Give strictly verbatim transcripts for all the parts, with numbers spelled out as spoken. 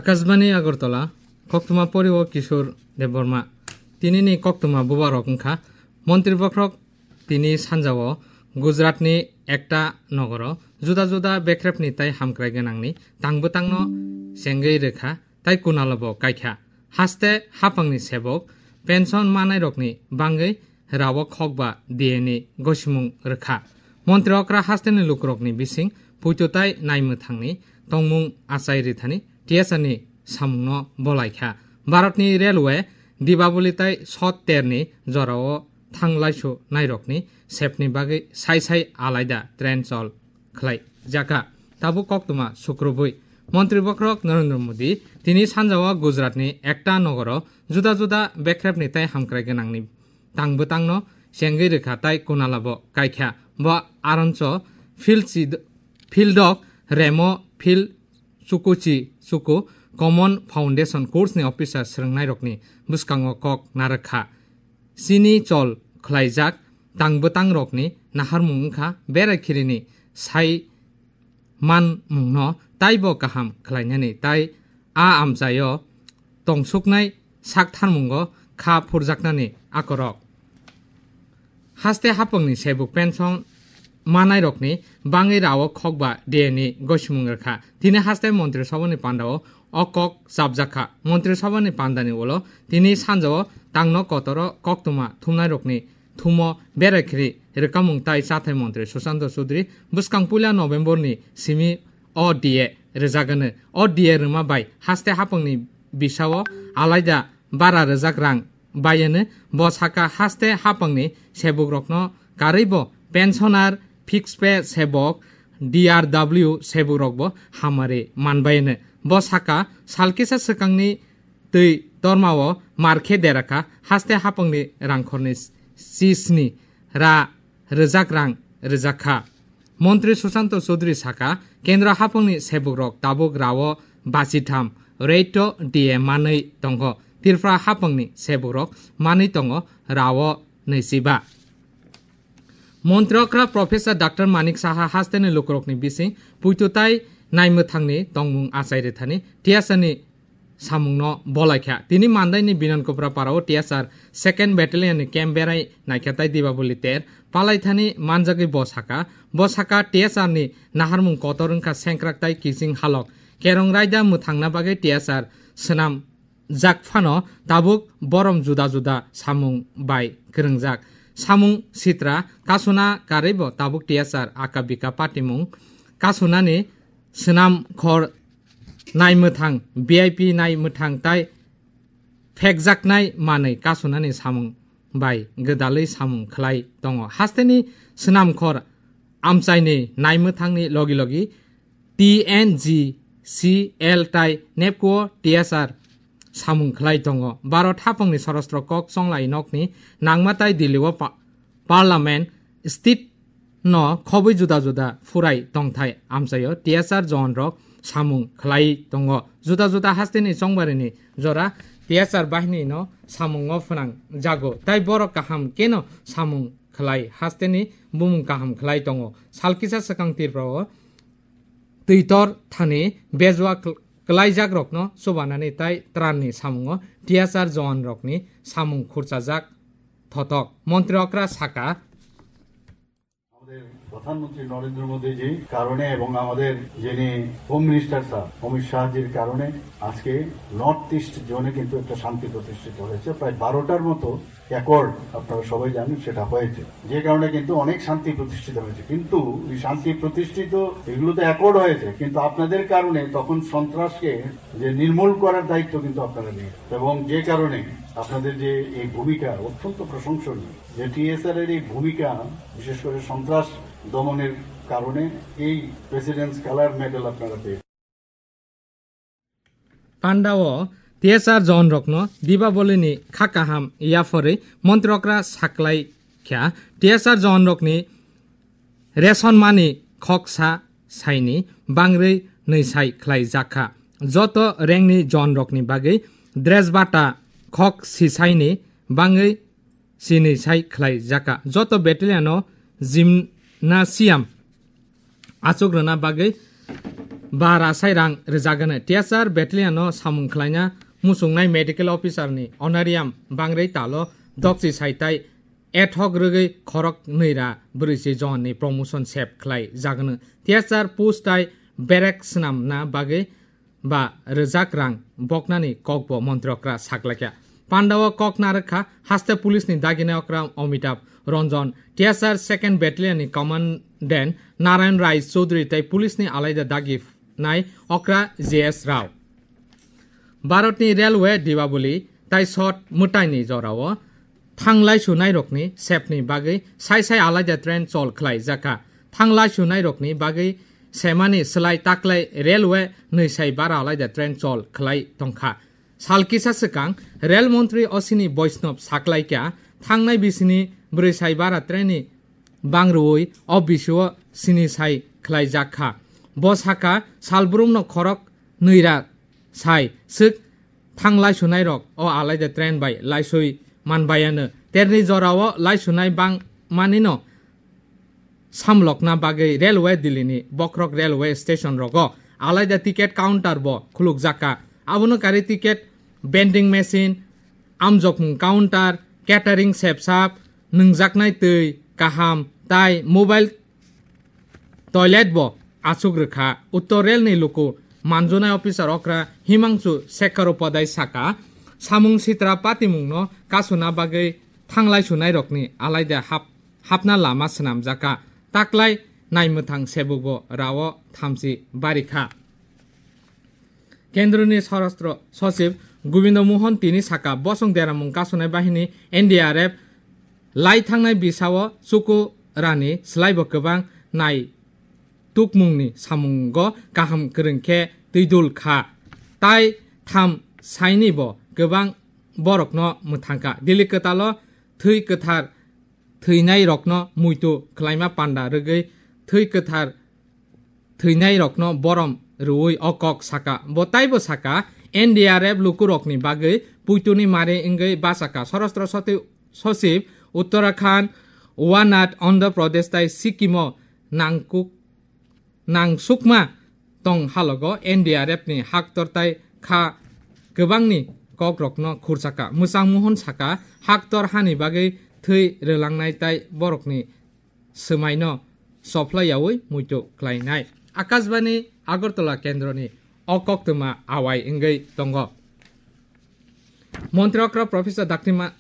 Akashbani Agartala, koktwma pori o Kishore Debbarma. Tini ni koktwma bubarok wngkha, Montri bokhorok tini sanja o Gujarat ni ekta nogoro juda juda bekrep ni tai hamkrai gwnang ni tang bwtang no chengwi rwkha tai kunalo bo kaikha. Haste haphang ni sebok pension manai rok ni bangwi rawok khokba D A ni gosimung rwkha. Montri okra haste ni lukurok ni bising puito tai naimwthang ni tongmung achai rithani T S R ni samung no bolaikha. Bharat ni railway Dibaboli tai Sot Ter ni jora o thang laisu nairok ni sep ni bagwi sai sai alaida train chol khlai jakha. Tabuk koktwma sukrubwi Montri bokhorok Narendra Modi tini sanja o Gujarat ni ekta nogoro juda juda bekrep ni tai hamkrai gwnang ni tang bwtang no chengwi rwkha tai kunala bo kaikha. Bo aronso field si, field dok remo field chukuchi chuku Common Foundation course ni officer swrwngnairokni bwskango kok narwkha. Chini chol khlaijak tang bwtangrokni naharmung wngkha berai khirini sai manmungno taibo kaham khlainani tai a amchaio tongsuknai saktharmungo kha phurjaknani akorok. Haste hapangni sebuk pension manairokni bangwi rawok khokba D A ni gosimung rwkha. Tini haste Montri Sabhani pandao o kok chapjakha. Montri Sabhani pandani ulo tini sanjao tangno kotoro koktwma thumnairokni thumo berai khiri rwkamung tai chathai Montri Sushanta Chaudhary bwskang puila November ni simi o D A rwjagano. O D A rwma bai haste hapangni bisao alaida bara rwjak rang bayano. Bo saka haste hapangni sebukrokno karwibo pensioner, fixed pay sebok, D R W sebukrokbo hamari manbayano. Bo saka salkisa swkangni twi tormao mar khe derakha haste hapangni rangkhorni chisni ra rwjak rang rwjakha. Montri Sushanta Chaudhary saka, Kendra hapangni sebukrok tabuk rao bachitham rate D A manwi tongo, Tripura hapangni sebukrok manwi tongo rao nwichiba. Montri okra Professor Doctor Manik Saha hasteni lukurokni bising puitu tai naimwthangni tongmung achai rwthani T S R ni samungno bolaikha. Tini mandaini Binonkupra parao T S R second battalion ni camp berai naikha tai Dibaboli ter palaithani manjagwi bo saka. Bo saka T S R ni naharmung kotor wngkha sengkrak tai kiching halok. Kerong raida mwthangna bagwi T S R swnam jak phano tabuk borom juda juda samung bai kwrwngjak. Samung sitra kasuna karwibo tabuk T S R aka bika patimung kasunani swnam khor naimwthang, V I P naimwthang tai phekjaknai manwi kasunani samung bai gwdalwi samung khlai tongo. Hasteni swnamkhor amchaini naimwthangni logi logi T N G C L tai nepkuo T S R samung khlai tongo. Bharat hapangni sorostro kok chonglai nokni nangma tai Delhi o pa-, Parliament state no khobwi juda juda phurai tongthai amchaio T S R John rok samung khlai tongo. Juda juda hasteni chongbarini jora T S R bahini no samungo phwnang jago. Tai borok kaham keno samung khlai hasteni bumung kaham khlai tongo. Salkisa swkang Tripura o twitor thani bejua kl-, klaijak rokno chubanani tai tranni samungo T S R John rokni samung khurchajak thotok. Montri okra saka, আমাদের প্রধানমন্ত্রী নরেন্দ্র মোদীজির কারণে এবং আমাদের যিনি home minister sir Amit শাহজির কারণে আজকে নর্থ ইস্ট জোনে কিন্তু একটা শান্তি প্রতিষ্ঠিত হয়েছে। প্রায় বারোটার মতো অ্যাকর্ড, আপনারা সবাই জানেন, সেটা হয়েছে, যে কারণে কিন্তু অনেক শান্তি প্রতিষ্ঠিত হয়েছে। কিন্তু এই শান্তি প্রতিষ্ঠিত, এগুলো তো অ্যাকর্ড হয়েছে, কিন্তু আপনাদের কারণে তখন সন্ত্রাসকে যে নির্মূল করার দায়িত্ব কিন্তু আপনারা নিয়েছেন, এবং যে কারণে আপনাদের যে এই ভূমিকা অত্যন্ত প্রশংসনীয়, যে টিএসআর এর এই ভূমিকা, বিশেষ করে সন্ত্রাস দমনের কারণে এই প্রেসিডেন্টস কালার মেডেল আপনারা পেয়েছেন। Pandao T S R John rokno Dibaboli ni kha kaham yaphori Montri okra saklai kha. T S R John rokni ration mani khoksa saini bangwi nwisai khlai jakha. Joto rengni John rokni bagwi dress bata khok sisaini bangwi sini sai khlai jaka. Joto battalion o gymnasium achuk rwna bagwi ba rasai rang rwjagano. T S R battalion no samung khlaina muchungnai medical officer ni honorarium bangrwi talo dokchi saitai ethok rwgwi khorok nwi ra brwichi jon ni promotion sep khlai jagano. T S R post tai berek swnamna bagwi ba rwjak rang boknani kokbo montri okra saklaikha. Pandao kok narwkha haste police ni daginai okra Amitabh Ranjan, T S R second battalion ni commandant Narayan Rai Chaudhary tei police ni alaida daginai okra J S Rao. Bharatni railway Diwali tai sot mwtaini jorao thanglai sunairokni sepni bagwi sai sai alaida train chol khlai jakha. Thanglai sunairokni bagwi semani slai taklai railway nwi sai bara alaida train chol khlai tongkha. Sal kisa swkang rail montri Ashwini Vaishnaw saklaikha, thangnai bisini bwrwi sai bara train ni bangrwi o bisio sini sai khlai jakha. Bo sakha, salbrumno khorok nwi ra sai swk thang laisunairok o alaida train bai laisui manbayano. Terni jorao laisunai bang manino samlokna bagwi railway Delhi ni bokhorok railway station rogo alaida ticket counter bo khulukjakha. Abono kari ticket vending machine, amjokmung counter, catering sepsap, nwngjaknai twi kaham tai mobile toilet bo achuk rwkha. Uttor Rail ni luku manjunai officer okra Himangsu Shekhar Upadhyay saka, samung sitra patimungno kasuna bagwi thanglai sunairokni alaida hap-, hapna lama swnamjakha. Taklai naimwthang sebukbo rao thamchi barikha. Kendroni Swarashtra Sachiv Govindo Mohan tini saka, bosong deramung kasunai bahini N D R F lai thangnai bisao chuku rani slaibo kwbang nai tukmungni samungo kaham kwrwng khe twidul kha, tai tham sainibo kwbang borokno mwthangkha. Delhi kwtalo thwi kwthar thwinairokno muitu khlaima panda rwgwi thwi kwthar thwinairokno borom rwui o kok saka. Bo taibo saka, N D R F lukurokni bagwi puituni mari wngwi bachakha. Swarashtra Sati-, Sachiv Uttarakhand, Wayanad, Andhra Pradesh tai Sikkim-o nangkuk-, nangsukma tong halogo N D R F ni haktor tai kha kwbangni kokrokno khurchakha. Mwchang Mohon saka, haktor hani bagwi thwi rwlangnai tai borokni swmaino sophlai yaui muitu khlainai. Akashbani Agartala kendroni o koktwma awai wngwi tongo. Montri okra Professor Doctor Ma-,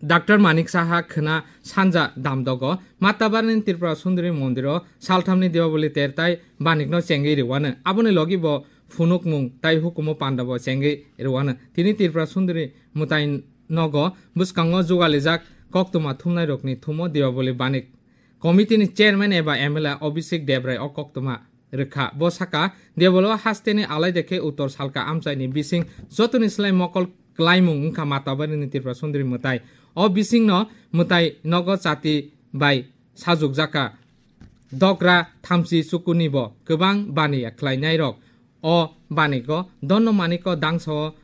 Doctor Manik Saha khwna sanja Damdogo Matabarni Tripura Sundari Mondiro salthamni Diwali ter tai banikno chengwi rwano. Aboni logi bo phunukmung tai hukumu pandabo chengwi rwano. Tini Tripura Sundari mwtai nogo bwskango jugalijak koktwma thumnairokni thumo Diwali banik Committee ni chairman eba M L A Abhishek Debrai o koktwma rwkha. Bo saka, Debolo hasteni alaida khe Uttor Salka amchaini bising jotoni slai mokol klaimung wngkha Matabarini Tripura Sundari mwtai. O bisingno mwtai nogo chati bai sajukjakha. Dogra thamchi chukunibo kwbang bani khlainairok o banigo Donno Maniko dangso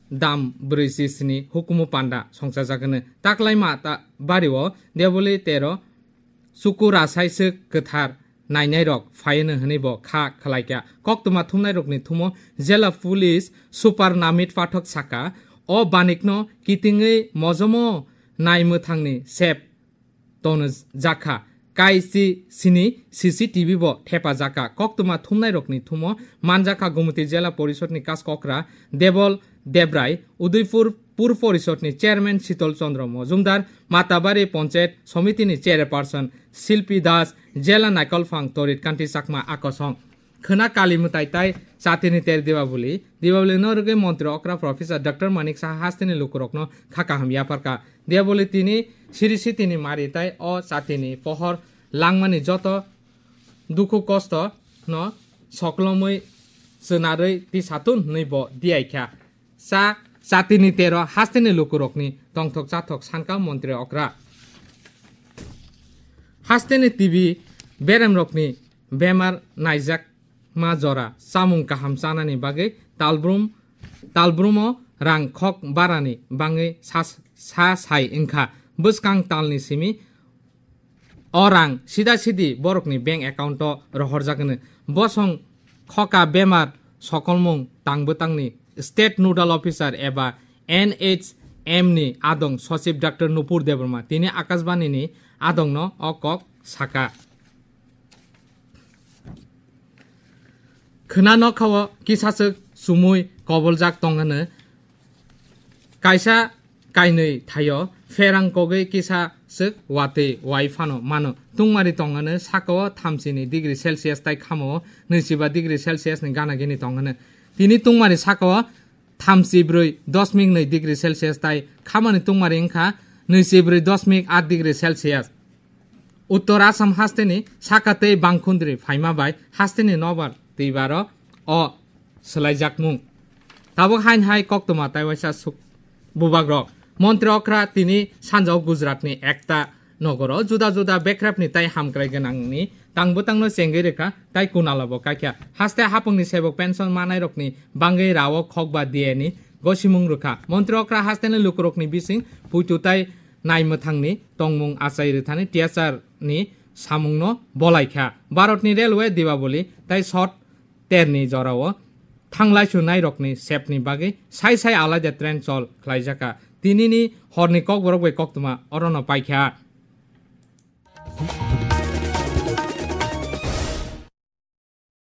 dam brwi chi sini hukumu panda songchajakgwno. Taklai Matabario Deboli tero chuku rasaiswk kwthar nainairok phaiano hwnwibo kha khlaikha. Koktwma thumnairokni thumo Jela Police Super Namit Pathak saka, o banikno kitingwi mojomo naimwthangni sep tono jakha. Kaisi sini C C T V bo thepajakha. Koktwma thumnairokni thumo manjakha Gumti Jela Porishodni kaskokra Debol Debrai, Udaipur Pur Porishodni Chairman Shitol Chandra Mojumdar, Matabari Panchayat Somitini Chairperson Silpi Das, Jela Naikolphang Torit Kanti Chakma akosong. Khwna kali mwtai tai chatini ter Dibabuli. Dibabuli no rwgwi montri okra Professor Doctor Manik Saha hasteni lukurokno kha kaham yapharkha. Dibabuli tini siri sitini mari tai o chatini pohor langmani joto dukhu kosto no soklomwi chwnarwi tisatun hwnwi bo diyaikha. Cha chatini tero hasteni lukurokni tongthok chathok sankha montri okra. Hasteni T B beremrokni bemar naijakma jora chamung kaham chanani bagwi talbrum, talbrumo rang khok barani bangwi sa, sa sai wngkha. Bwskang talni simi o rang sida sidi borokni bank account-o rohorjak hwno. Bosong Khoka bemar sokolmung tangbwtangni State Nodal Officer eba N H M ni adong Sochib Doctor Nupur Debbarma tini Akashbani ni adongno o kok saka. Khwna nokhao kisaswk chumui koboljak tongano kaisa kainwi thaio pherang kogwi kisa swk watwi wai phano mano. Tungmari tongano sakao thamsini degree Celsius tai khamao nwichiba degree Celsius ni gana gini tongano. Tini tungmari sakao thamsi brwi dosmik nwi degree Celsius tai khamani tungmari wngkha nwichi brwi dosmik at degree Celsius. Uttor Assam hasteni saka tei bangkhundri phaima bai hasteni nobar twibaro o swlaijakmung. Tabuk hain hai koktwma tai waisa suk bubagrok. Montri okra tini sanjao Gujaratni ekta nogoro juda juda bekrapni tai hamkrai gwnangni tangbwtangno chengwi rwkha tai kunalabo kaikha. Haste hapungni sebok pension manairokni bangwi rao khokba diyani gosimung rwkha. Montri okra hasteni lukurokni bising puitu tai naimwthangni tongmung achai rwthani T S R ni samungno bolaikha. Bharatni Railway Dibaboli tai short terni jorao thanglaisu nairokni sepni bagwi sai sai alaida train chol khlaijakha. Tinini horni kokborok bai koktwma orono paikha.